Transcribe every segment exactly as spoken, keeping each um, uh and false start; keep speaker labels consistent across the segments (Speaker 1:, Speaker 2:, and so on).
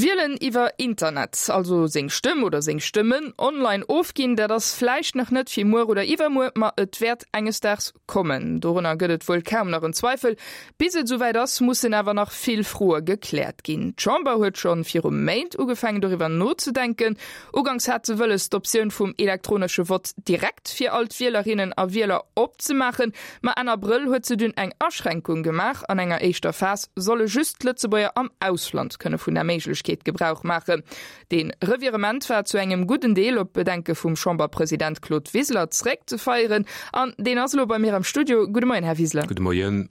Speaker 1: Wielen iwwer Internet, also seng Stëmm oder seng Stëmmen online ofginn, dat ass vläicht nach net fir muer oder iwwermuer, ma et wäert enges Daags kommen. Dorunner gëtt et wuel kaum nach en Zweifel. Bis et esouwäit ass, mussen awer nach vill Froe gekläert ginn. D'Chamber huet schonn viru Méint ugefaangen doriwwer nozedenken. Uganks hat se wëlles, d'Optioun vum elektronesche Vott direkt fir all d'Wielerinnen a Wieler opzemaachen, ma Enn Abrëll huet se dunn eng Aschränkung gemaach, An enger éischter Phas solle just d'Lëtzebuerger am Ausland kënne vun der Méiglechkeet Gebrauch maachen. Dee Revirement war zu engem gudden Deel op d'Bedenke vum Chamberpresident Claude Wiseler zeréckzeféieren. An deen ass elo bei mir am Studio. Gudde Moien, Här Wiseler.
Speaker 2: Gudde Moien.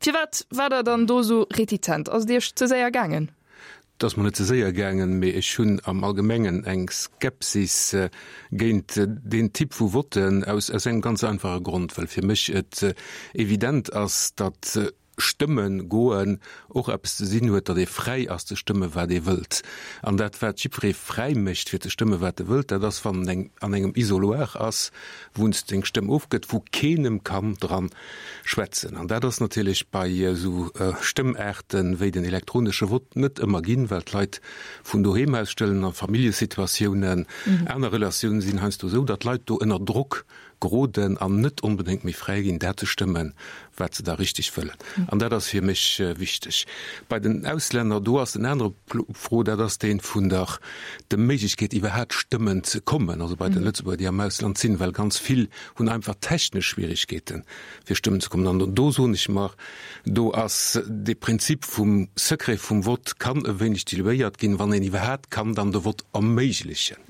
Speaker 1: Firwat waart Der dann do esou retizent? Ass et Iech ze séier gaangen?
Speaker 2: Et ass mer net ze séier gaangen, mee ech hunn am Allgemengen eng Skepsis géint deen Typ vu Votten aus engem ganz einfache Grond, well fir mech et evident ass, datt Stëmme goen och eppes ze sinn huet, datt ee fräi ass ze stëmme wat ee wëllt. An dat wat jiddweree fräi mécht fir ze stëmme wat e wëllt, dat ass wann en an engem Isoloir ass, wou en seng Stëmm ofgëtt, wou keen em kann dran schwätzen. An dat ass natierlech bei esou Stëmmaarte wéi den elektronesche Vott net ëmmer ginn, well d'Leit vun doheem aus stëllen a Familljesituatiounen, aner Relatiounen sinn heiansdo esou, datt d'Leit do ënner Drock geroden an net onbedéngt méi fräi ginn, dat ze stëmmen, wat se da richteg wëllen. An dat ass fir mech wichteg. Bei den Auslänner, do ass en anere Fro, dat ass dee vun der der Méiglechkeet, iwwerhaapt stëmmen ze kommen, also bei de Lëtzebuerger, déi am Ausland sinn, well ganz vill hunn einfach technesch Schwierigkeeten, fir stëmmen ze kommen. An do soen ech mer, do ass de Prinzip vum Secret vum Vott kann e wéineg diluéiert ginn, wann een iwwerhaapt kann dann de Vott erméiglechen.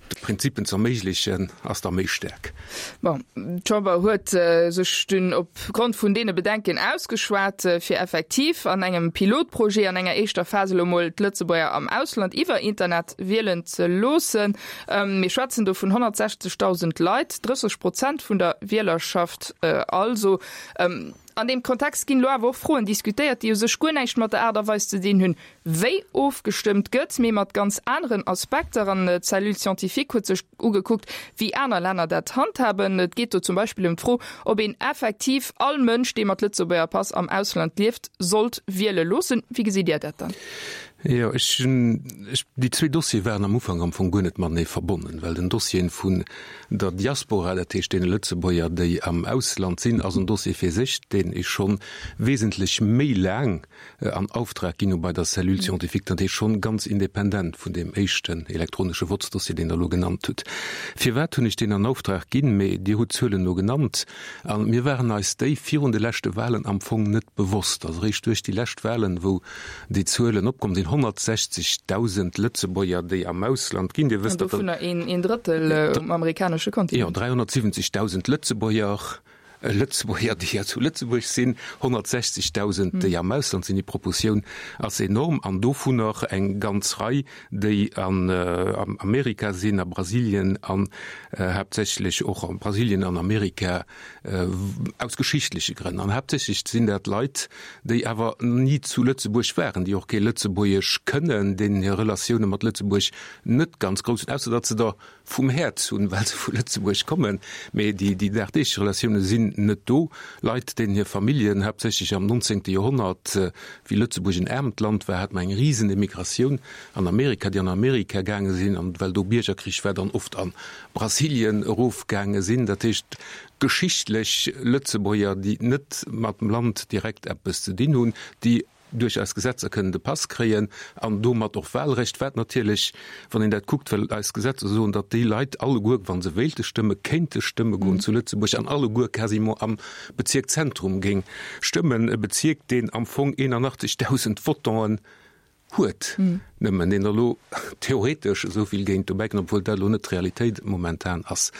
Speaker 2: De Prinzipen ze erméiglechen, ass da méi staark.
Speaker 1: Bon, d'Chamber huet sech dunn op Grond vun deene Bedenken ausgeschwat, fir effektiv an engem Pilotprojet an enger éischter Phas elo mol d'Lëtzebuerger am Ausland iwwer Internet wielen ze loossen. Mir schwätzen do vun honnertsechzegdausend Leit, drësseg Prozent vun der Wielerschaft also. An deem Kontext ginn elo awer och Froen diskutéiert, déi u sech guer näischt mat der Aart a Weis ze dinn hunn, wéi ofgestëmmt gëtt, mee mat ganz aneren Aspekter. An d'Cellule scientifique huet sech ugekuckt, wéi aner Länner dat handhaben. Et geet do zum Beispill ëm d'Fro, ob een effektiv all Mënsch, dee mat Lëtzebuerger Pass am Ausland lieft, sollt wiele loossen. Wéi gesitt Dir dat dann?
Speaker 2: Jo, ech hunn, ech, déi zwee Dossiere waren am Ufank am Fong guer net matenee verbonnen, well den Dossier vun der Diaspora, dat heescht deene Lëtzebuerger, déi am Ausland sinn, ass en Dossier fir sech, deen ech scho wesentlech méi laang an Auftrag ginn hu bei der Cellule scientifique, dat heescht schonn ganz independent vun deem éischten elektronesche Vottsdossier, deen Der elo genannt hutt. Firwat hunn ech deen an Auftrag ginn? Mee Dir hutt d'Zuelen elo genannt a mir waren eis déi virun de leschte Wahlen am Fong net bewosst. Also eréischt duerch déi lescht Wahlen, wou déi Zuelen opkomm sinn, honnertsechzegdausend Lëtzebuerger, déi am Ausland ginn. Dir
Speaker 1: wësst, datt. An dovunner een Drëttel um amerikanesche Kontinent.
Speaker 2: Jo, dräihonnertsiwwenzegdausend Lëtzebuerger, Lëtzebuerger, déi zu Lëtzebuerg sinn, honnertsechzegdausend, déi am Ausland sinn. Déi Proportioun ass enorm. An dovunner eng ganz Rei, déi an Amerika sinn, a Brasilien an haaptsächlech och a Brasilien an Amerika aus geschichtleche Grënn. An haaptsächlech sinn dat Leit, déi awer ni zu Lëtzebuerg waren, déi och kee Lëtzebuergesch kënnen, deenen hir Relatioune mat Lëtzebuerg net ganz grouss sinn, ausser datt se der vum Häerz hunn, well se vu Lëtzebuerg kommen. Mee déi dagdeeglech Relatioune sinn net do. Leit, deenen hir Familljen haaptsächlech am nonzéngte Joerhonnert, wéi Lëtzebuerg en aarmt Land war, hat mer eng Risenemigratioun an Amerika, déi an Amerika gaange sinn, an well do Biergerkrich war, dann oft a Brasilien erofgaange sinn. Dat heescht, geschichtlech Lëtzebuerger, déi net mat dem Land direkt eppes ze dinn hunn, déi duerch eis Gesetzer kënnen de Pass kréien an domat och Wahlrecht, wat natierlech, wann een dat kuckt, well eis Gesetzer soen, datt déi Leit alleguer, wa se wéilte stëmme, kéinte stëmme goen zu Lëtzebuerg an alleguer quasiment am Bezierk Zentrum géing stëmmen, e Bezierk, deen am Fong eenanachtzegdausend Votanten huet, nëmmen deen der elo theoretesch esou vill géint dobäi kënnt, obwuel dat elo net d'Realitéit momentan ass,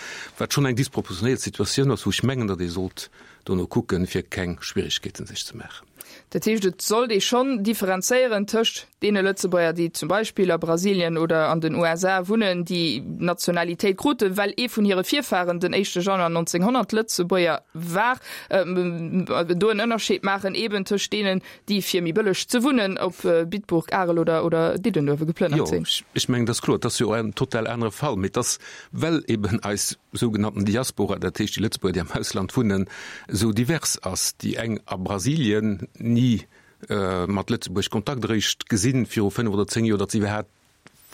Speaker 2: wat schonn eng disproportionéiert Situatioun ass, wou ech mengen, datt ee sollt dono kucken, fir keng Schwierigkeeten sech ze maachen.
Speaker 1: Dat heescht, et sollt ee schonn differenzéieren tëscht deene Lëtzebuerger, déi zum Beispill a Brasilien oder an den U S A wunnen, déi d'Nationalitéit kruten, well ee vun hire Virfaren den éischte Januar neunzehnhundert Lëtzebuerger war, do en Ënnerscheed maachen eeben tëscht deenen, déi fir méi bëlleg ze wunnen op Bitburg, Arel oder, oder Diddenuewe geplënnert sinn.
Speaker 2: Jo, ech mengen, dat ass kloer. Dat ass jo och en total anere Fall. Mee et ass, well eben eis sougenannten Diaspora, dat heescht déi Lëtzebuerger, déi am Ausland wunnen, esou divers ass, déi eng a Brasilien, ni mat Lëtzebuerg Kontakt eréischt gesinn viru fënnef oder zéng Joer, datt se iwwerhaapt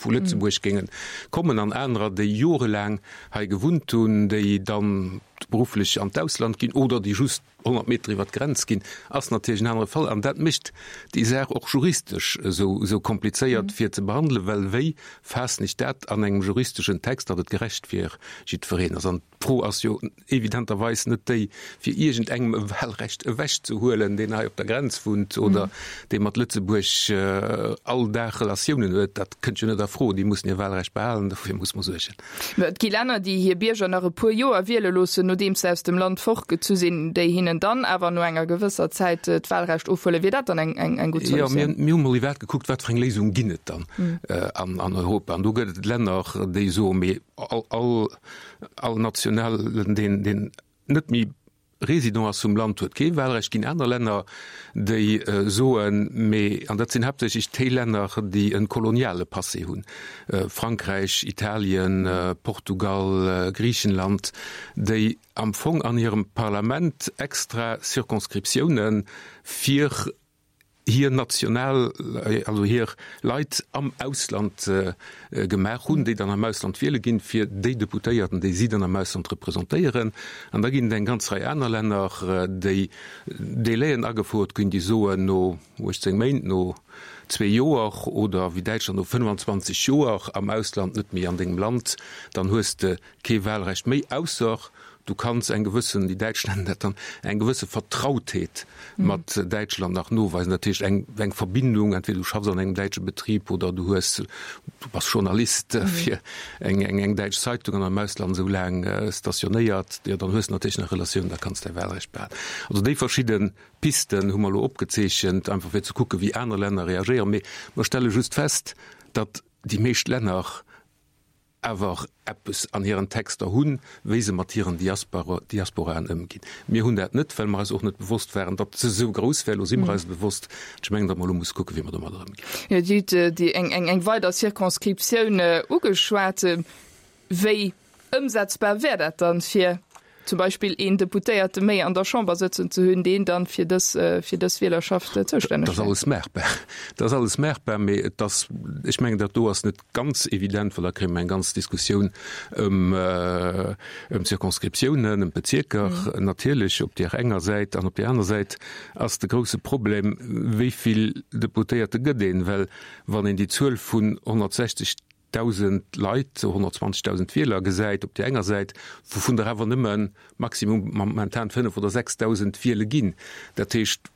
Speaker 2: vu Lëtzebuerg géinge kommen, an anerer, déi jorelaang hei gewunnt hunn, déi dann berufflech an d'Ausland ginn oder déi just honnert Meter iwwer d'Grenz ginn, ass natierlech en anere Fall. An dat mécht déi Saach och juristesch esou, esou komplizéiert fir ze behandelen, well wéi faassen ech dat an engem juristeschen Text, datt et gerecht fir jiddwereen ass? An d'Fro ass jo evidenterweis net déi, fir iergendengem e Wahlrecht ewechzehuelen, deen hei op der Grenz wunnt oder dee mat Lëtzebuerg all Dag Relatiounen huet. Dat kënnt jo net a Fro. Déi mussen hir Wahlrecht behalen, dofir muss mer suergen.
Speaker 1: Mä et gi Länner, déi hir Bierger nach e puer Joer wiele loossen, nodeems se aus dem Land fortgezu sinn, déi hinnen dann awer no enger gewësser Zäit d'Wahlrecht ofhuelen. Wier dat dann eng, eng, eng gutt
Speaker 2: Solutioun? Jo, mir, mir hu mol iwwerhaapt gekuckt, wat fir eng Léisung ginn et dann an, an Europa. An do gëtt et Länner, déi soen, mee all, all, all Nationalen, deen, deen net méi Résident ass vum Land, huet kee Wahlrecht. Ginn aner Länner, déi soen, mee, an dat sinn haaptsächlech déi Länner, déi e koloniale Passé hunn, Frankräich, Italien, Portugal, Griichenland, déi am Fong an hirem Parlament extra Circonscriptiounen fir hir national, also hir Leit am Ausland gemaach hunn, déi dann am Ausland wiele ginn, fir déi Deputéierten, déi si dann am Ausland representéieren. An da ginn et eng ganz Rei aner Länner, déi Délaiën agefouert ginn, déi soen, no uechtzéng Méint, no zwee Joer oder wéi Däitschland no fënnfanzwanzeg Joer am Ausland, net méi an dengem Land, dann hues de kee Wahlrecht méi, ausser Du kanns eng gewëssen, déi Däitsch nennen dat dann, eng gewësse Vertrautheet mat Däitschland nach noweisen. Dat heescht eng, eng Verbindung, entweder du schaffs an engem däitsche Betrib oder du hues, du bass Journalist fir eng, eng, eng däitsch Zeitung an am Ausland esou laang stationéiert, jo dann hues de natierlech nach Relatiounen, da kanns däi Wahlrecht behalen. Also déi verschidde Pisten hu mer elo opgezeechent, einfach fir ze kucken, wéi aner Länner reagéieren. Mee mer stelle just fest, datt déi meescht Länner awer eppes an hiren Texter hunn, wéi se mat hiren Diasporaen ëmginn. Mir hunn dat net, well mer eis och net bewosst waren, datt se esou grouss wär. Elo si mer eis bewosst. Ech mengen, datt mer elo musse kucken, wéi mer domadder ëmginn.
Speaker 1: Jo, Dir hutt déi eng, eng weider Circonscriptioun ugeschwat. Wéi ëmsetzbar wär dat dann, fir zum Beispill een Deputéierte méi an der Chamber sëtzen ze hunn, deen dann fir dës, fir dës Wielerschaft zoustänneg
Speaker 2: Dat ass
Speaker 1: wär?
Speaker 2: alles maachbar. Dat ass alles maachbar, mee et ass, ech mengen, dat do ass net ganz evident, well da kréie mer eng ganz Diskussioun ëm, ëm d'Circonscriptiounen, ëm d'Bezierker natierlech op där enger Säit. An op där aner Säit ass de grouse Problem, wéi vill Deputéierte gëtt een? Well wann een déi Zuel vun honnertsechzeg Dausend Leit, honnertzwanzegdausend Wieler gesäit op där enger Säit, wouvun der awer nëmme maximum momentan fënnef oder sechsdausend wiele ginn. Dat heescht,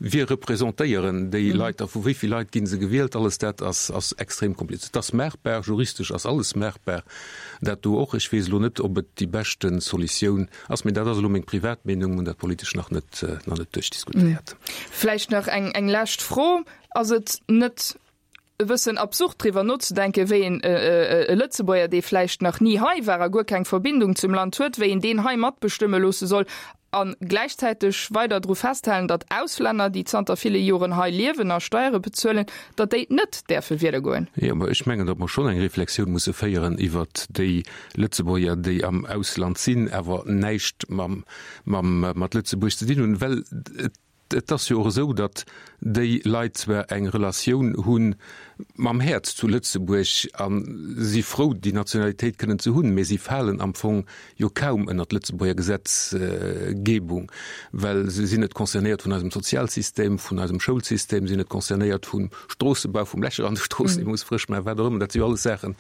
Speaker 2: wie representéieren déi Leit a vu wéi vill Leit gi se gewielt? Alles dat ass, ass extrem kompliziert. Et ass maachbar, juristesch ass alles maachbar, dat do och. Ech weess elo net, ob et déi beschte Solutioun ass, mee dat ass elo meng privat Meenung, hunn dat politesch nach net, nach net duerchdiskutéiert.
Speaker 1: Vläicht nach eng, eng lescht Fro, Ass et net e bëssen absurd driwwer nozedenken, wéi een e Lëtzebuerger, dee vläicht nach ni hei war a guer keng Verbindung zum Land huet, wéi een deen hei matbestëmme loosse soll a gläichzäiteg weider dru festhalen, datt Auslänner, déi zanter ville Joren hei liewen a Steiere bezuelen, datt déi net däerfe wiele goen.
Speaker 2: Jo, mä ech mengen, datt mer schonn eng Reflexioun musse féieren iwwert déi Lëtzebuerger, déi am Ausland sinn, awer näischt mam, mam, mat Lëtzebuerg ze dinn hunn, well et, Et ass jo och esou, datt déi Leit zwar eng Relatioun hu mam Häerz zu Lëtzebuerg a si frou, déi Nationalitéit kënnen ze hunn, mee si falen am Fong jo kaum ënner d'Lëtzebuerger Gesetzgebung, well se sinn net concernéiert vun eisem Sozialsystem, vun eisem Schoulsystem, sinn net concernéiert vum Stroossebau, vum Lächer an de Stroossen, déi muss frësch maachen, wat och ëmmer. Dat si jo alles Saachen,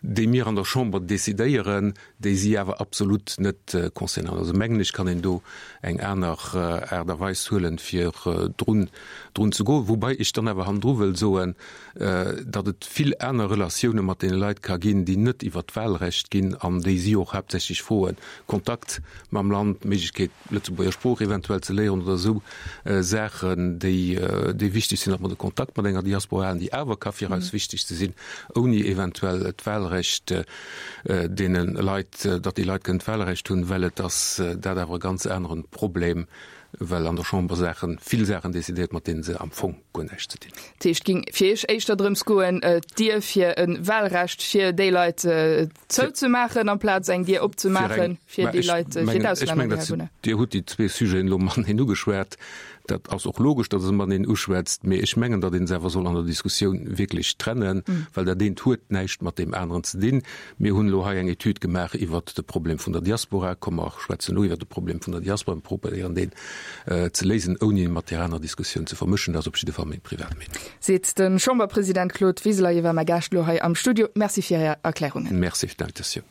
Speaker 2: déi mir an der Chamber decidéieren, déi si awer absolut net concernéieren. Also mengen ech, kann een do eng aner Aart a Weis huelen, fir drun drun ze goen. Woubai ech dann awer hannendru wëll soen, datt et vill aner Relatioune mat deene Leit ka ginn, déi net iwwert d'Wahlrecht ginn an déi si och haaptsächlech froen, Kontakt mam Land, d'Méiglechkeet, Lëtzebuerger Sprooch eventuell ze léieren oder esou Saachen, déi déi wichteg sinn, datt mer de Kontakt mat enger Diaspora halen, déi awer ka fir eis wichteg ze sinn, ouni eventuell d'Wahlrecht deene Leit, datt déi Leit kënnen d'Wahlrecht hunn, well et ass dat awer e ganz anere Problem, well an der Chamber Saachen, vill Saachen decidéiert, mat deene se am Fong guer näischt ze dinn.
Speaker 1: Dat heescht, et géing fir Iech éischter drëms goen, d'Dier fir e Wahlrecht fir déi Leit zouzemaachen, amplaz eng Dier opzemaache fir déi Leit, fir d'Auslänner, déi hei wunnen?
Speaker 2: Dir hutt déi zwee Sujeten elo mateneen ugeschwat. Dat ass och logesch, datt e mateneen uschwätzt, mee ech mengen, datt een se awer soll an der Diskussioun wierklech trennen, well dat eent huet näischt mat deem aneren ze dinn. Mir hunn elo hei eng Etüd gemaach iwwert de Problem vun der Diaspora. Komm mer schwätzen elo iwwert de Problem vun der Diaspora an probéieren deen ze léisen, ouni en mat där anerer Diskussioun ze vermëschen. Dat ass op jidde Fall meng privat Meenung.
Speaker 1: Seet de Chamberpresident Claude Wiseler. Hie war mäi Gaascht elo hei am Studio. Merci fir Är Erklärungen.
Speaker 2: Merci fir d'Invitatioun.